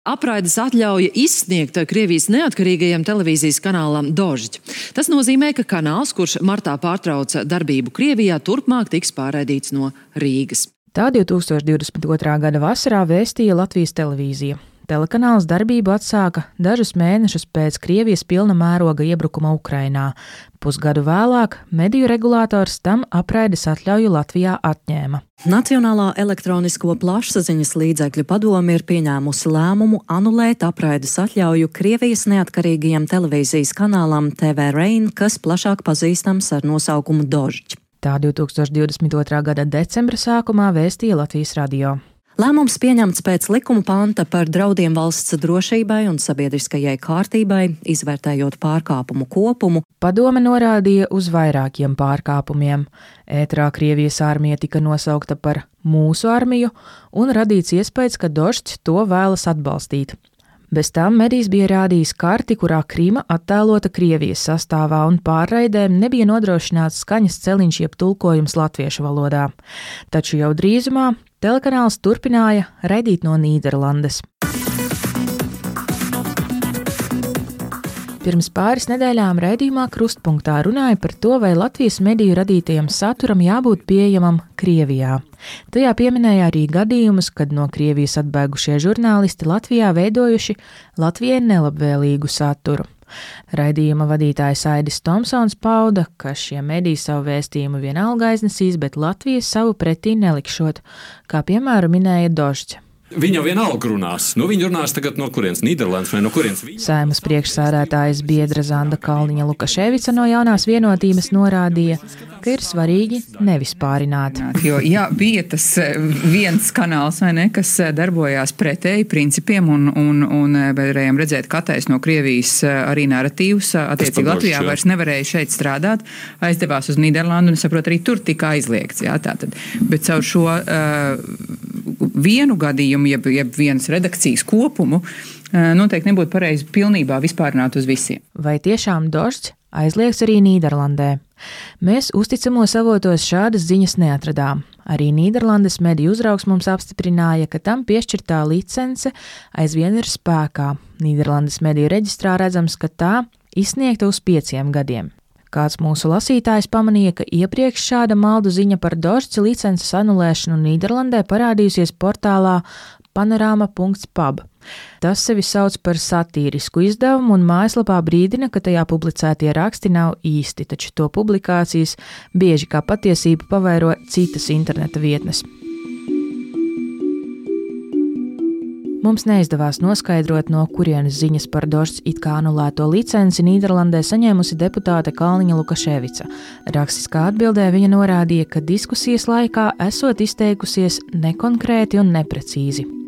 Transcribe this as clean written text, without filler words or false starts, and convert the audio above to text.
apraides atļauja izsniegta Krievijas neatkarīgajam televīzijas kanālam Dožd. Tas nozīmē, ka kanāls, kurš martā pārtrauca darbību Krievijā, turpmāk tiks pārraidīts no Rīgas. Tā 2022. gada vasarā vēstīja Latvijas televīzija. Telekanāls darbību atsāka dažus mēnešus pēc Krievijas pilna mēroga iebrukuma Ukrainā. Pusgadu vēlāk mediju regulātors tam apraides atļauju Latvijā atņēma. Nacionālā elektronisko plašsaziņas līdzekļu padome ir pieņēmusi lēmumu anulēt apraides atļauju Krievijas neatkarīgajam televīzijas kanālam TV Rain, kas plašāk pazīstams ar nosaukumu Dožd. Tā 2022. gada decembra sākumā vēstīja Latvijas radio. Lēmums pieņemts pēc likuma panta par draudiem valsts drošībai un sabiedriskajai kārtībai, izvērtējot pārkāpumu kopumu. Padome norādīja uz vairākiem pārkāpumiem. Ētrā Krievijas armija tika nosaukta par mūsu armiju un radīts iespējas, ka Dožds to vēlas atbalstīt. Bez tam medijs bija rādījis karti, kurā Krima attēlota Krievijas sastāvā un pārraidēm nebija nodrošināts skaņas celiņš jeb tulkojums latviešu valodā. Taču jau drīzumā telekanāls turpināja raidīt no Nīderlandes. Pirms pāris nedēļām raidījumā Krustpunktā runāja par to, vai Latvijas mediju radītajam saturam jābūt pieejamam Krievijā. Tajā pieminēja arī gadījumus, kad no Krievijas atbēgušie žurnālisti Latvijā veidojuši Latvijai nelabvēlīgu saturu. Raidījuma vadītājs Aidis Tomsons pauda, ka šie mediji savu vēstījumu vienalga aiznesīs, bet Latvijas savu pretī nelikšot, kā piemēram minēja Dožds. Viņa vienalga runās. Viņi runās tagad no kurienes? Nīderlandes vai no kurienes? Saeimas priekšsēdētājas biedra Zanda Kalniņa Lukaševica no Jaunās vienotības norādīja, ka ir svarīgi nevis pārināt. Jo bija tas viens kanāls, vai ne, kas darbojās pretēji principiem un varējām redzēt, ka attaisno Krievijas arī narratīvus. Attiecīgi Latvijā vairs nevarēja šeit strādāt, aizdevās uz Nīderlandu un, saprot, arī tur tika aizliegts. Jā, tātad. Bet caur šo vienu gadījumu, jeb vienas redakcijas kopumu, noteikti nebūtu pareizi pilnībā vispārināt uz visiem. Vai tiešām Dožds aizliegs arī Nīderlandē? Mēs uzticamos avotos šādas ziņas neatradām. Arī Nīderlandes mediju uzraugs mums apstiprināja, ka tam piešķirtā licence aizvien ir spēkā. Nīderlandes mediju reģistrā redzams, ka tā izsniegta uz 5 gadiem. Kāds mūsu lasītājs pamanīja, ka iepriekš šāda maldu ziņa par Dožds licences anulēšanu Nīderlandē parādījusies portālā panorama.pub. Tas sevi sauc par satīrisku izdevumu un mājaslapā brīdina, ka tajā publicētie raksti nav īsti, taču to publikācijas bieži kā patiesību pavairo citas interneta vietnes. Mums neizdevās noskaidrot, no kurienes ziņas par Dožds it kā anulēto licenci Nīderlandē saņēmusi deputāte Kalniņa Lukaševica. Rakstiskā atbildē viņa norādīja, ka diskusijas laikā esot izteikusies nekonkrēti un neprecīzi.